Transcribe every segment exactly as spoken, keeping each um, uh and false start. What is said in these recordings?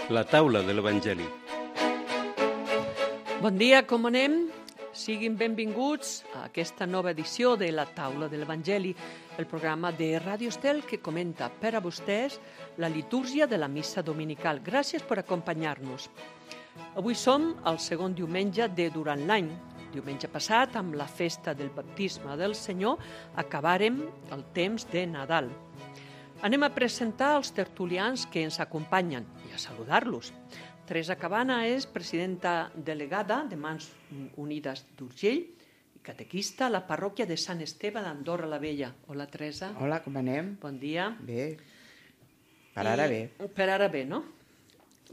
La taula de l'Evangeli. Bon dia, com anem? Siguin benvinguts a aquesta nova edició de La taula de l'Evangeli, el programa de Ràdio Estel que comenta per a vostès la litúrgia de la missa dominical. Gràcies per acompanyar-nos. Avui som al segon diumenge de durant l'any. Diumenge passat, amb la festa del baptisme del Senyor, acabàrem el temps de Nadal. Anem a presentar els tertulians que ens acompanyen i a saludar-los. Teresa Cabana és presidenta delegada de Mans Unides d'Urgell i catequista a la parròquia de Sant Esteve d'Andorra la Vella. Hola, Teresa. Hola, com anem? Bon dia. Bé. Per ara bé. I, per ara bé, no?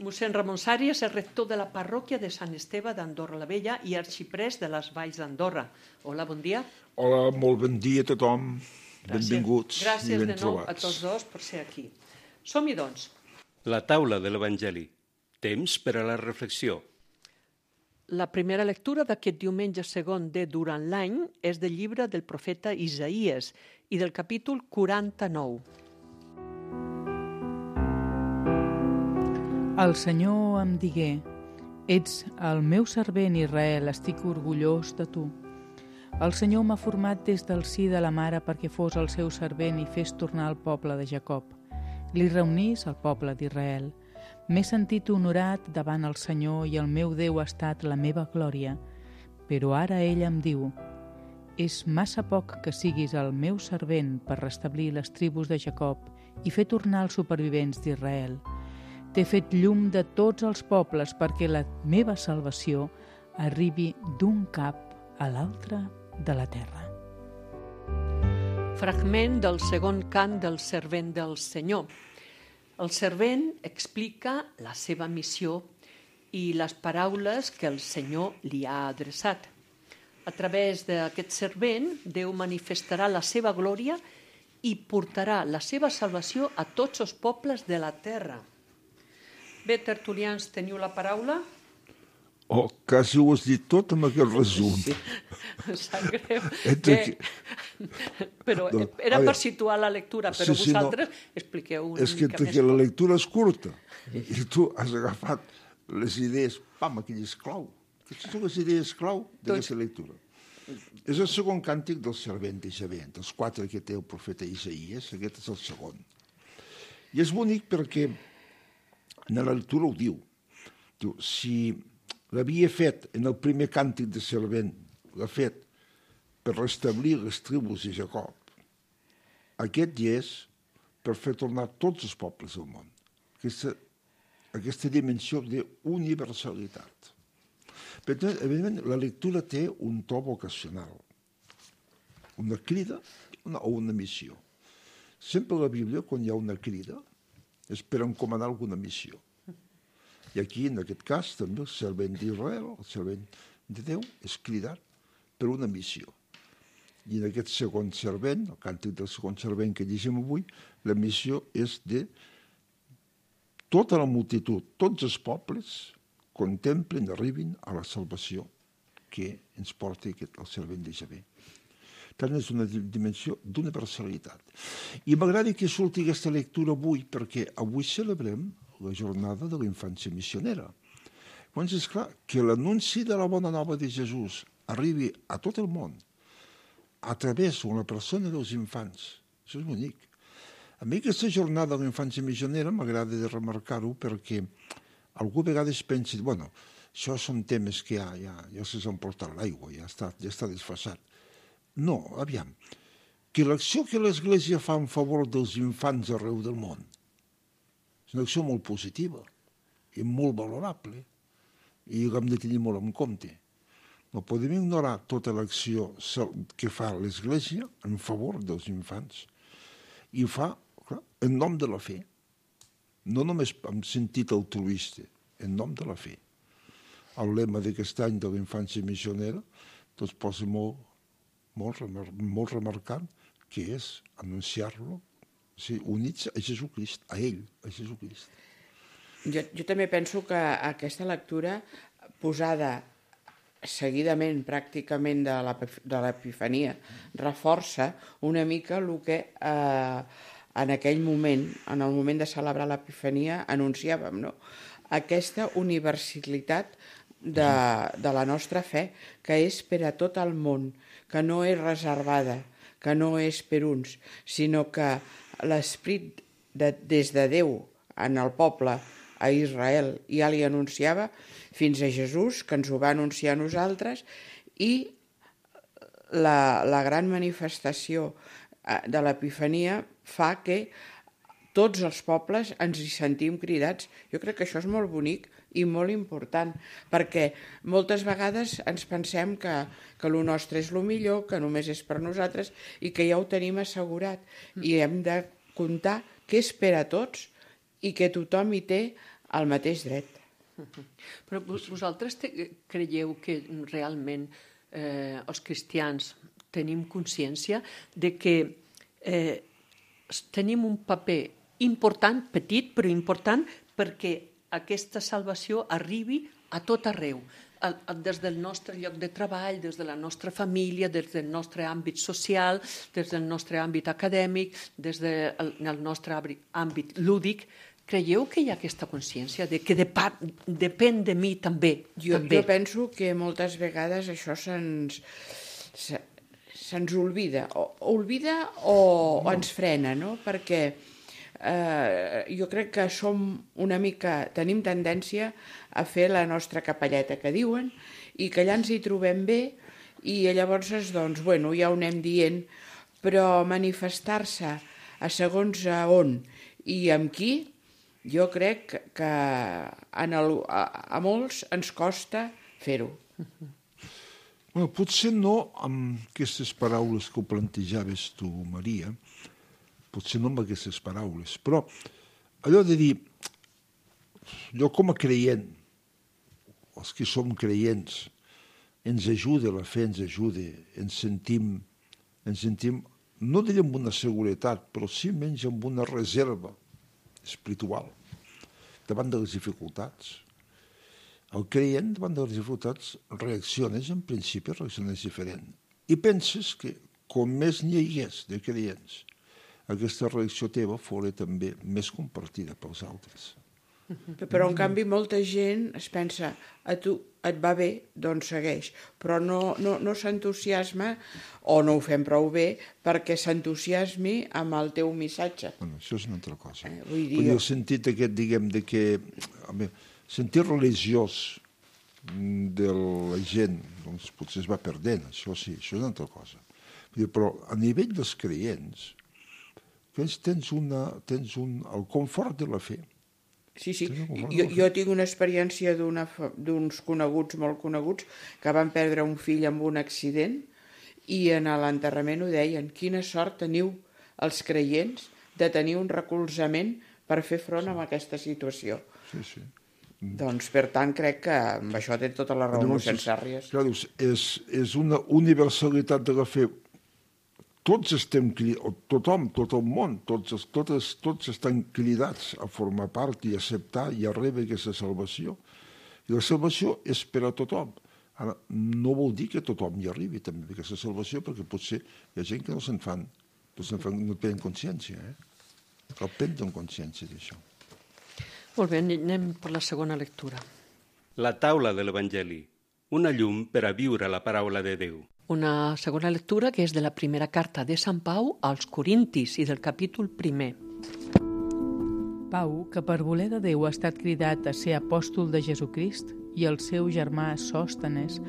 Mossèn Ramon Sàries és rector de la parròquia de Sant Esteve d'Andorra la Vella i arxiprès de les Valls d'Andorra. Hola, bon dia. Hola, molt bon dia a tothom. Gràcies. Benvinguts Gràcies i ben de nou trobats. a tots dos per ser aquí. Som-hi, doncs. La taula de l'Evangeli. Temps per a la reflexió. La primera lectura d'aquest diumenge segon de Durant l'any és del llibre del profeta Isaïes i del capítol quaranta-nou. El Senyor em digué: ets el meu servent Israel, estic orgullós de tu. El Senyor m'ha format des del si de la mare perquè fos el seu servent i fes tornar el poble de Jacob. Li reunís el poble d'Israel. M'he sentit honorat davant el Senyor i el meu Déu ha estat la meva glòria. Però ara ell em diu: és massa poc que siguis el meu servent per restablir les tribus de Jacob i fer tornar els supervivents d'Israel. T'he fet llum de tots els pobles perquè la meva salvació arribi d'un cap a l'altre de la terra. Fragment del segon cant del servent del Senyor. El servent explica la seva missió i les paraules que el Senyor li ha adreçat. A través d'aquest servent, Déu manifestarà la seva glòria i portarà la seva salvació a tots els pobles de la terra. Bé, tertulians, teniu la paraula? Oh, quasi ho has dit tot amb aquest resum. Sí, em sap greu. Entre Que... que- Però No, era a per veure. situar la lectura, però Sí, sí, no. vosaltres expliqueu una És que mica entre més. que la lectura és curta i tu has agafat les idees, pam, aquelles clau. Aquestes són les idees clau d'aquesta lectura. És el segon càntic del servent d'Isabel, dels quatre que té el profeta Isaïes, aquest és el segon. I és bonic perquè en la lectura ho diu. Diu, si l'havia fet en el primer càntic de servent, l'ha fet per restablir les tribus de Jacob, aquest hi és per fer tornar tots els pobles del món. Aquesta, aquesta dimensió d'universalitat. Per tant, evidentment, la lectura té un to vocacional, una crida una, o una missió. Sempre a la Bíblia, quan hi ha una crida, és per encomanar alguna missió. I aquí, en aquest cas, també el servent d'Israel, el servent de Déu, és cridat per una missió. I en aquest segon servent, el càntic del segon servent que llegim avui, la missió és de tota la multitud, tots els pobles contemplen, arribin a la salvació que ens porta aquest, el servent d'Isabel. Tant és una dimensió d'universalitat. I m'agrada que surti aquesta lectura avui, perquè avui celebrem la jornada de la infància missionera. Llavors és clar que l'anunci de la bona nova de Jesús arribi a tot el món a través de la persona dels infants. Això és bonic. A mi aquesta jornada de la infància missionera m'agrada de remarcar-ho perquè algú a vegades pensa, bueno, això són temes que ja, ja, ja se'ls han portat l'aigua, ja està, ja està desfasat. No, aviam, que l'acció que l'Església fa en favor dels infants arreu del món és una acció molt positiva i molt valorable i l'hem de tenir molt en compte. No podem ignorar tota l'acció que fa l'Església en favor dels infants i ho fa, clar, en nom de la fe, no només en sentit altruista, en nom de la fe. El lema d'aquest any de la infància missionera doncs posa molt molt, molt remarcant, que és anunciar-lo, o sigui, units a Jesucrist, a ell, a Jesucrist. Jo, jo també penso que aquesta lectura posada seguidament pràcticament de l'Epifania reforça una mica el que eh, en aquell moment, en el moment de celebrar l'Epifania, anunciàvem, no?, aquesta universalitat de, de la nostra fe, que és per a tot el món, que no és reservada, que no és per uns, sinó que l'esperit de, des de Déu en el poble, a Israel, ja li anunciava, fins a Jesús, que ens ho va anunciar a nosaltres, i la, la gran manifestació de l'Epifania fa que tots els pobles ens hi sentim cridats. Jo crec que això és molt bonic i molt important, perquè moltes vegades ens pensem que, que el nostre és el millor, que només és per nosaltres i que ja ho tenim assegurat. I hem de comptar que és per a tots i que tothom hi té el mateix dret. Però vosaltres te, creieu que realment eh, els cristians tenim consciència de que eh, tenim un paper important, petit, però important, perquè aquesta salvació arribi a tot arreu, des del nostre lloc de treball, des de la nostra família, des del nostre àmbit social, des del nostre àmbit acadèmic, des del nostre àmbit lúdic. Creieu que hi ha aquesta consciència de que depèn de mi també? Jo, també. jo penso que moltes vegades això se'ns se, se'ns oblida, o oblida o, o ens frena, no? Perquè eh, jo crec que som una mica, tenim tendència a fer la nostra capelleta que diuen i que allà ens hi trobem bé i llavors doncs, bueno, ja ho anem dient, però manifestar-se a segons a on i amb qui, jo crec que en el, a, a molts ens costa fer-ho. Bueno, potser no amb aquestes paraules que ho plantejaves tu, Maria, potser no amb aquestes paraules, però allò de dir, jo com a creient, els que som creients, ens ajuda, la fe ens ajuda, ens sentim, ens sentim, no diré amb una seguretat, però sí menys amb una reserva espiritual davant de les dificultats. El creient, davant de les dificultats, reacciones, en principi, reacciones diferent. I penses que, com més n'hi hagués de creients, aquesta reacció teva fora també més compartida pels altres. Però, en canvi, molta gent es pensa, a tu et va bé, doncs segueix, però no, no, no s'entusiasma o no ho fem prou bé perquè s'entusiasmi amb el teu missatge. Bueno, això és una altra cosa. Eh, vull dir... Vull dir, el sentit aquest, diguem, de que... Home, sentit religiós de la gent, doncs potser es va perdent, això sí, això és una altra cosa. Vull dir, però a nivell dels creients, tens, una, tens un, el confort de la fe. Sí, sí. Jo, jo tinc una experiència d'uns coneguts, molt coneguts, que van perdre un fill amb un accident i en l'enterrament ho deien, quina sort teniu els creients de tenir un recolzament per fer front a aquesta situació. Sí, sí. Doncs, per tant, crec que amb això té tota la raó, mossèn Sàrries. Clar, és, és una universalitat de la fe. Tots estem cridats, tothom, tot el món, tots, totes, tots estan cridats a formar part i acceptar i a rebre aquesta salvació. I la salvació és per a tothom. Ara, no vol dir que tothom hi arribi també a aquesta salvació, perquè potser hi ha gent que no se'n fan, no se'n fan, no tenen consciència, eh? Cal prendre consciència d'això. Molt bé, anem per la segona lectura. La taula de l'Evangeli, una llum per a viure la paraula de Déu. Una segona lectura que és de la primera carta de Sant Pau als Corintis i del capítol primer. Pau, que per voler de Déu ha estat cridat a ser apòstol de Jesucrist, i el seu germà Sòstenes,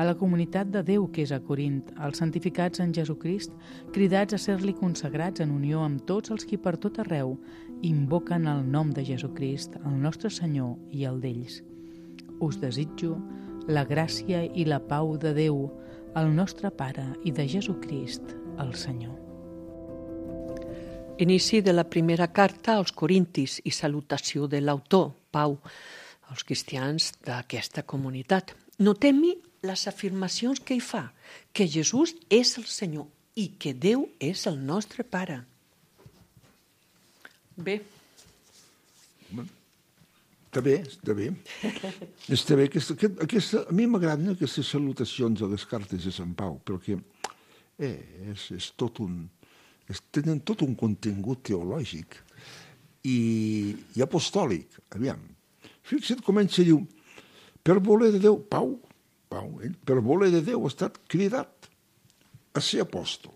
a la comunitat de Déu que és a Corint, als santificats en Jesucrist, cridats a ser-li consagrats en unió amb tots els qui per tot arreu invoquen el nom de Jesucrist, el nostre Senyor i el d'ells. Us desitjo la gràcia i la pau de Déu, el nostre Pare i de Jesucrist, el Senyor. Inici de la primera carta als Corintis i salutació de l'autor, Pau, als cristians d'aquesta comunitat. Notem-hi les afirmacions que hi fa, que Jesús és el Senyor i que Déu és el nostre Pare. Bé. Està bé, està bé. Està bé. Aquesta, aquesta, a mi m'agraden aquestes salutacions a les cartes de Sant Pau, perquè eh, és, és, tot un, tenen tot un contingut teològic i, i apostòlic. Aviam, fixa't, comença a dir, per voler de Déu, Pau, Pau, ell, per voler de Déu ha estat cridat a ser apòstol.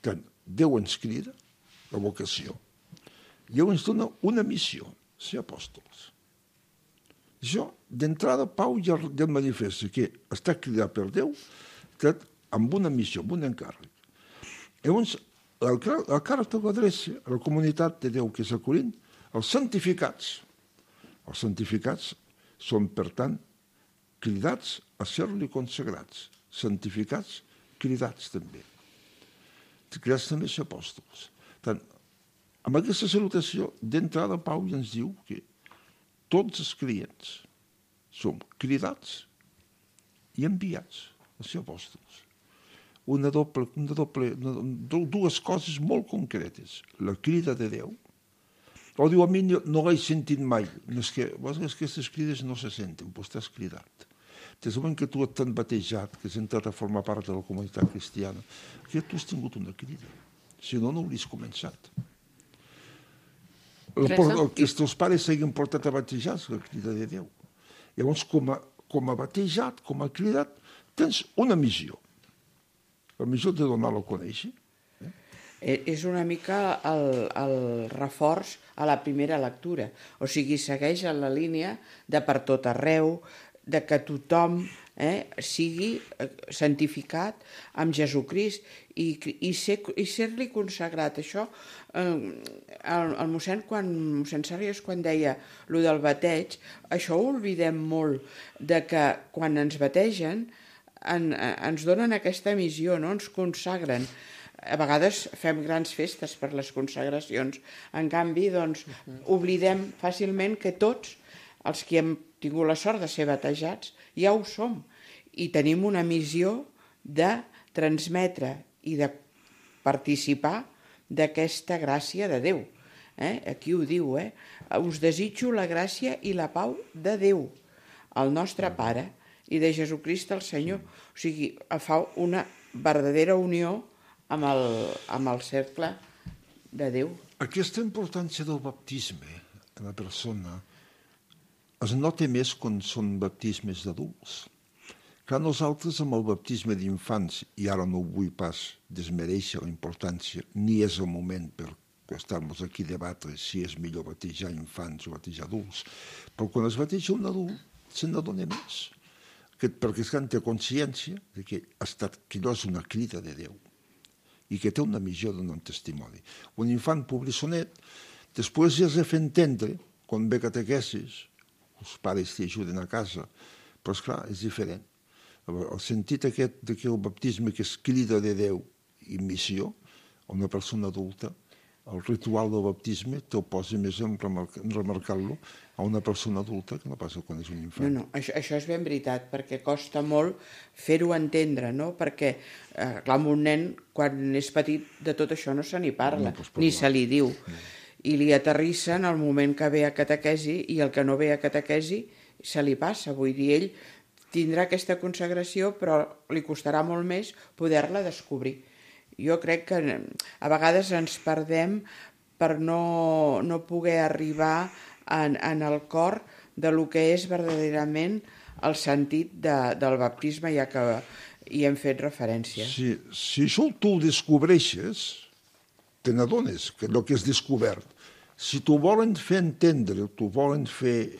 Tant, Déu ens crida, la vocació. Déu ens dona una missió, ser apòstols. Això, d'entrada, Pau ja, ja manifesta que està cridat per Déu amb una missió, amb un encàrrec. Llavors, la, la carta l'adreça a la comunitat de Déu que és a Corint, els santificats. Els santificats són, per tant, cridats a ser-li consagrats. Santificats, cridats també. Cridats també a ser apòstols. Tant, amb aquesta salutació, d'entrada, Pau ja ens diu que tots els clients som cridats i enviats a ser apòstols. Una doble, una doble, una, dues coses molt concretes. La crida de Déu. O diu, a mi no, no l'he sentit mai. No és que, és que aquestes crides no se senten, però estàs cridat. Des del moment que tu t'han batejat, que has entrat a formar part de la comunitat cristiana, que tu has tingut una crida. Si no, no hauries començat. El, el que els teus pares s'hagin portat a batejar és la crida de Déu. Llavors, com a, com a batejat, com a cridat, tens una missió. La missió de donar-lo a conèixer. Eh? És una mica el, el reforç a la primera lectura. O sigui, segueix en la línia de per tot arreu, de que tothom eh, sigui santificat amb Jesucrist i, i, ser, i ser-li consagrat. Això, eh, el, el mossèn, quan, mossèn Sàrries, quan deia lo del bateig, això ho oblidem molt, de que quan ens bategen en, ens donen aquesta missió, no? Ens consagren. A vegades fem grans festes per les consagracions. En canvi, doncs, oblidem fàcilment que tots els que hem tingut la sort de ser batejats ja ho som i tenim una missió de transmetre i de participar d'aquesta gràcia de Déu. Eh? Aquí ho diu, eh? Us desitjo la gràcia i la pau de Déu, el nostre Pare, i de Jesucrist el Senyor. O sigui, fa una verdadera unió amb el, amb el cercle de Déu. Aquesta importància del baptisme en la persona es nota més quan són baptismes d'adults. Clar, nosaltres amb el baptisme d'infants, i ara no vull pas desmereixer la importància, ni és el moment per estar-nos aquí a debatre si és millor batejar infants o batejar adults, però quan es bateja un adult se n'adona més, que, perquè es té consciència de que, ha estat, que no és una crida de Déu i que té una missió de donar un testimoni. Un infant pobrissonet, després ja has de fer entendre, quan ve catequesis, els pares t'hi ajuden a casa, però esclar, és diferent. El sentit aquest de que el baptisme que és crida de Déu i missió, a una persona adulta, el ritual del baptisme te'l posa més en remarcar-lo a una persona adulta que no passa quan és un infant. No, no, això, això és ben veritat, perquè costa molt fer-ho entendre, no? Perquè, eh, clar, amb un nen, quan és petit, de tot això no se n'hi parla, no, ni se li diu. No. I li aterrissen al moment que ve a catequesi i el que no ve a catequesi se li passa. Vull dir, ell tindrà aquesta consagració, però li costarà molt més poder-la descobrir. Jo crec que a vegades ens perdem per no, no poder arribar en, en el cor de lo que és verdaderament el sentit de, del baptisme, ja que hi hem fet referència. Si, si això tu ho descobreixes, te n'adones que el que has descobert. Si t'ho volen fer entendre, t'ho volen fer,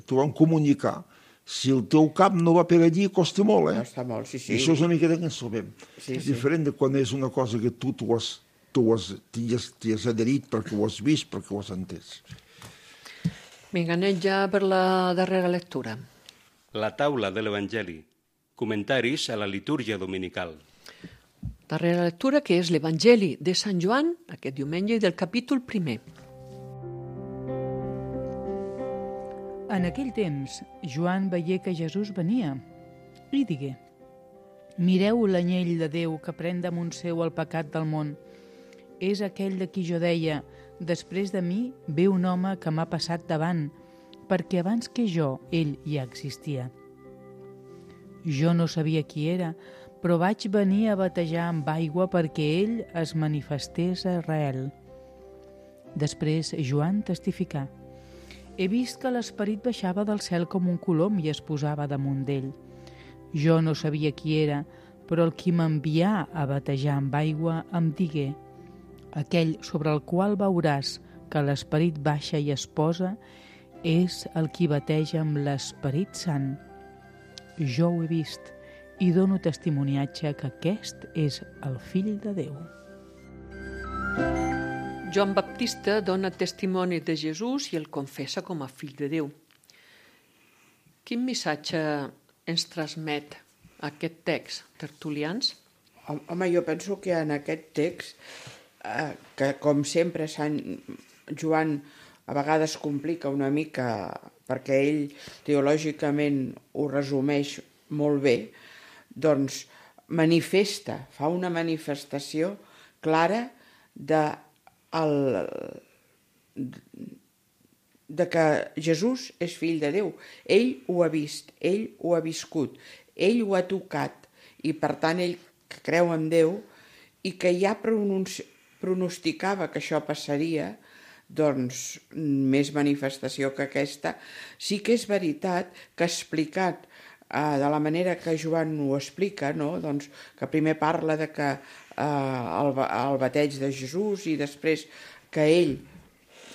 t'ho volen comunicar, si el teu cap no va per allí, costa molt, eh? Costa molt, sí, sí. I això és una miqueta que ens sabem. Sí, és sí. diferent de quan és una cosa que tu t'ho has, t'ho has, t'hi has, t'hi has adherit perquè ho has vist, perquè ho has entès. Vinga, anem ja per la darrera lectura. La taula de l'Evangeli. Comentaris a la litúrgia dominical. Darrera lectura, que és l'Evangeli de Sant Joan, aquest diumenge, del capítol primer. En aquell temps, Joan veié que Jesús venia i digué: mireu l'anyell de Déu que pren damunt seu el pecat del món. És aquell de qui jo deia: després de mi ve un home que m'ha passat davant, perquè abans que jo, ell ja existia. Jo no sabia qui era, però vaig venir a batejar amb aigua perquè ell es manifestés a Israel. Després Joan testificà: he vist que l'esperit baixava del cel com un colom i es posava damunt d'ell. Jo no sabia qui era, però el qui m'envià a batejar amb aigua em digué: aquell sobre el qual veuràs que l'esperit baixa i es posa és el qui bateja amb l'Esperit Sant. Jo ho he vist i dono testimoniatge que aquest és el Fill de Déu. Joan Baptista dona testimoni de Jesús i el confessa com a fill de Déu. Quin missatge ens transmet aquest text, tertulians? Home, jo penso que en aquest text, eh, que com sempre Sant Joan a vegades complica una mica perquè ell teològicament ho resumeix molt bé, doncs manifesta, fa una manifestació clara de, el, de que Jesús és fill de Déu. Ell ho ha vist, ell ho ha viscut, ell ho ha tocat i per tant ell que creu en Déu i que ja pronunci... pronosticava que això passaria, doncs més manifestació que aquesta. Sí que és veritat que explicat eh, de la manera que Joan ho explica, no? Doncs que primer parla de que eh, el, el bateig de Jesús i després que ell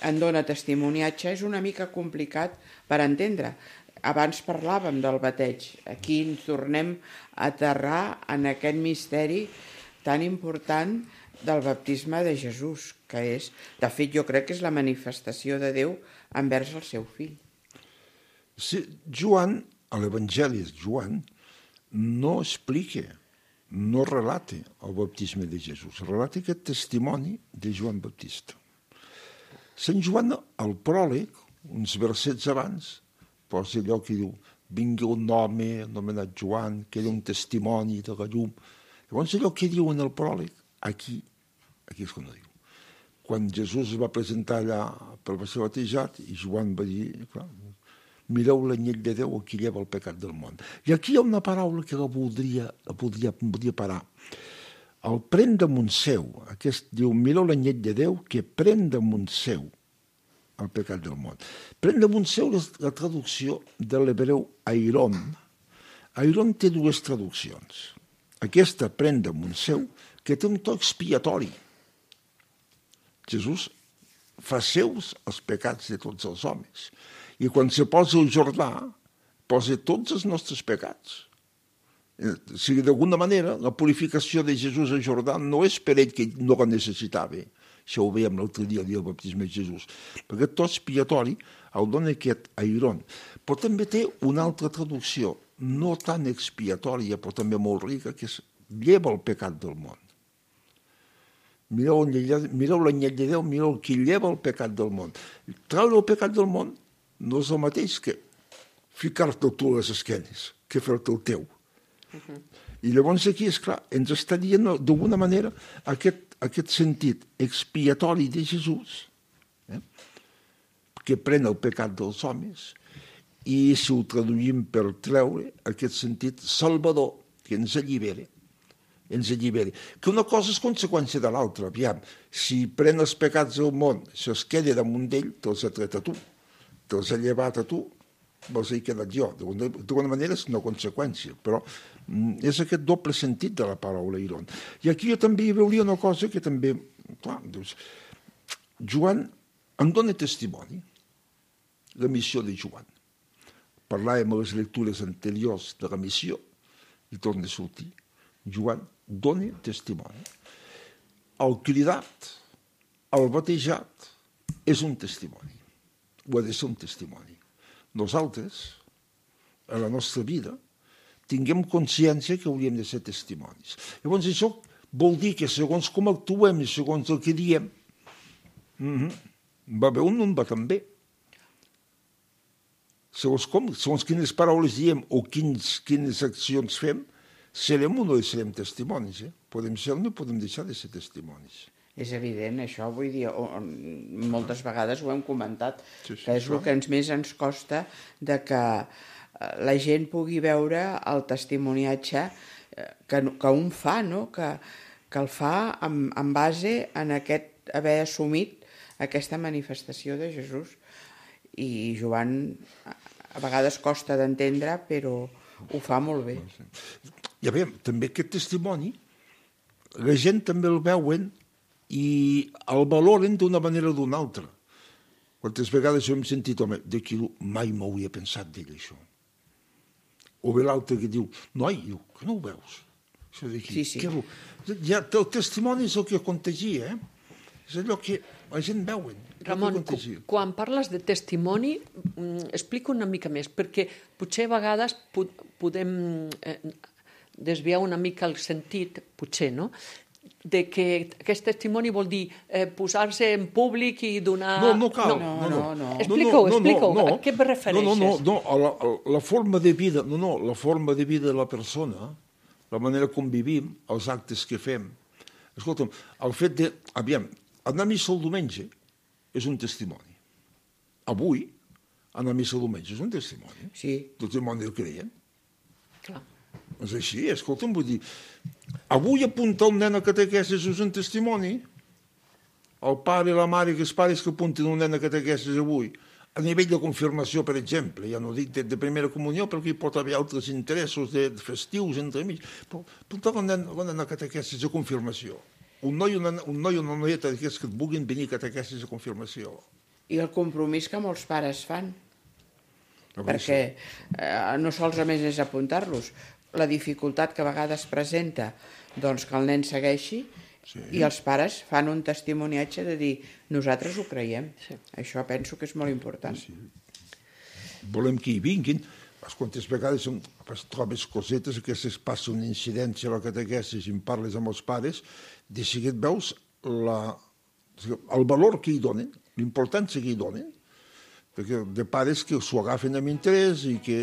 en dona testimoniatge, és una mica complicat per entendre. Abans parlàvem del bateig, aquí ens tornem a aterrar en aquest misteri tan important del baptisme de Jesús, que és, de fet, jo crec que és la manifestació de Déu envers el seu fill. Sí, Joan, a l'Evangeli de Joan, no explica, no relata el baptisme de Jesús, relata aquest testimoni de Joan Baptista. Sant Joan, al pròleg, uns versets abans, posa allò que diu: vingui un home anomenat Joan, que era un testimoni de la llum. Llavors allò que diu en el pròleg, aquí, aquí és quan ho diu. Quan Jesús es va presentar allà per ser batejat, i Joan va dir, clar, mireu l'anyell de Déu, qui lleva el pecat del món. I aquí hi ha una paraula que la voldria, la voldria, voldria parar. El pren damunt seu, aquest diu, mireu l'anyell de Déu, que pren damunt seu el pecat del món. Pren damunt seu és la traducció de l'hebreu airon. Airon té dues traduccions. Aquesta pren damunt seu, que té un to expiatori. Jesús fa seus els pecats de tots els homes. I quan se posa al Jordà, posa tots els nostres pecats. O sigui, d'alguna manera, la purificació de Jesús al Jordà no és per ell que no la necessitava. Això ho veiem l'altre dia, el dia del baptisme de Jesús. Perquè tot expiatori el dona aquest airon. Però també té una altra traducció, no tan expiatòria, però també molt rica, que és lleva el pecat del món. Mireu l'anyell de Déu, mireu qui lleva el pecat del món. Treure el pecat del món no és el mateix que ficar-te tu a les esquenes, que fer-te el teu. Uh-huh. I llavors aquí, és clar, ens està dient d'alguna manera aquest, aquest sentit expiatori de Jesús, eh? que pren el pecat dels homes, i si ho traduïm per treure, aquest sentit salvador, que ens allibera, ens alliberi. Que una cosa és conseqüència de l'altra. Aviam, si pren els pecats del món, si es queda damunt d'ell, te'ls ha tret a tu, te'ls ha llevat a tu, me'ls he quedat jo. D'alguna manera és una conseqüència, però és aquest doble sentit de la paraula airon. I aquí jo també hi veuria una cosa que també... Clar, doncs, Joan em dona testimoni, la missió de Joan. Parlàvem a les lectures anteriors de la missió i torna a sortir. Joan dona testimoni. El cridat, el batejat, és un testimoni. Ho ha de ser un testimoni. Nosaltres, a la nostra vida, tinguem consciència que hauríem de ser testimonis. Llavors, això vol dir que segons com actuem i segons el que diem, mm-hmm, va bé un, un va també. Segons com, segons quines paraules diem o quins, quines accions fem, serem o no serem testimonis. Eh? Podem ser o no podem deixar de ser testimonis. És evident, això, vull dir, moltes vegades ho hem comentat, sí, sí, que és el que ens més ens costa de que la gent pugui veure el testimoniatge que, que un fa, no? que, que el fa en, en base en aquest haver assumit aquesta manifestació de Jesús. I Joan a vegades costa d'entendre, però ho fa molt bé. I a veure, també aquest testimoni, la gent també el veuen i el valoren d'una manera o d'una altra. Quantes vegades hem sentit, home, d'aquí mai m'ho havia pensat d'ell, això. O bé l'altre que diu, noi, diu, que no ho veus? Això d'aquí. Sí, sí. Que... Ja, el testimoni és el que contagia, eh? És allò que la gent veuen. Ramon, quan parles de testimoni, explica una mica més, perquè potser a vegades podem eh, desviar una mica el sentit, potser, no?, de que aquest testimoni vol dir eh, posar-se en públic i donar... No, no cal. No, no, no. no. Explica-ho, no, no, explica-ho. no, no. A què et refereixes? No, no, no, no. La, la forma de vida, no, no, la forma de vida de la persona, la manera com vivim, els actes que fem. Escolta'm, el fet de... Aviam, anar a missa el diumenge és un testimoni. Avui, anar a missa el diumenge és un testimoni. Sí. Testimoni del creient. Clar. És així, escolta'm, vull dir... Avui apuntar un nen a catequesis és un testimoni. El pare i la mare, que els pares que apunten un nen a catequesis avui, a nivell de confirmació, per exemple, ja no dic de, de primera comunió, perquè hi pot haver altres interessos de, de festius entre mig, però apuntar un nen, un nen a catequesis de confirmació. Un noi, una, un noi o una noieta d'aquests que et vulguin venir a catequesis de confirmació. I el compromís que molts pares fan. A Perquè eh, no sols a més és apuntar-los, la dificultat que a vegades presenta doncs, que el nen segueixi, sí. I els pares fan un testimoniatge de dir nosaltres ho creiem. Sí. Això penso que és molt important. Sí. Volem que hi vinguin. Quantes vegades es trobes cosetes, aquestes passa una incidència a la catequesis i en parles amb els pares, de seguit veus la, el valor que hi donen, l'importància que hi donen, perquè de pares que s'ho agafen amb interès i que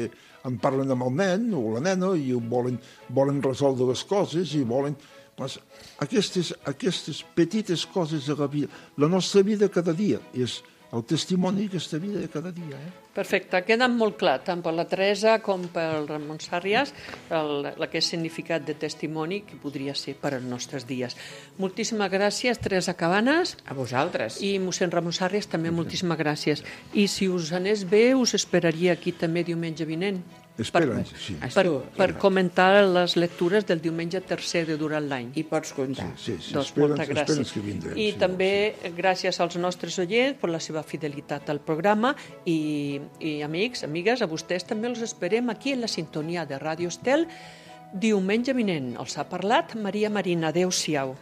en parlen amb el nen o la nena i volen, volen resoldre les coses i volen... Pues, aquestes, aquestes petites coses de la vida, la nostra vida cada dia és el testimoni d'aquesta vida de cada dia. Eh? Perfecte, queda molt clar, tant per la Teresa com pel Ramon Sàrries, el, aquest significat de testimoni que podria ser per als nostres dies. Moltíssimes gràcies, Teresa Cabanes. A vosaltres. I mossèn Ramon Sàrries, també moltíssimes gràcies. I si us anés bé, us esperaria aquí també diumenge vinent. Espera'ns, sí. Per, per comentar les lectures del diumenge tercer de durant l'any. I pots comptar. Sí, sí, sí. Doncs Espera'ns, moltes gràcies. espera'ns que vindrem. I sí, també sí. gràcies als nostres oients per la seva fidelitat al programa i, i amics, amigues, a vostès també els esperem aquí en la sintonia de Ràdio Estel diumenge vinent. Els ha parlat Maria Marina. Adéu-siau.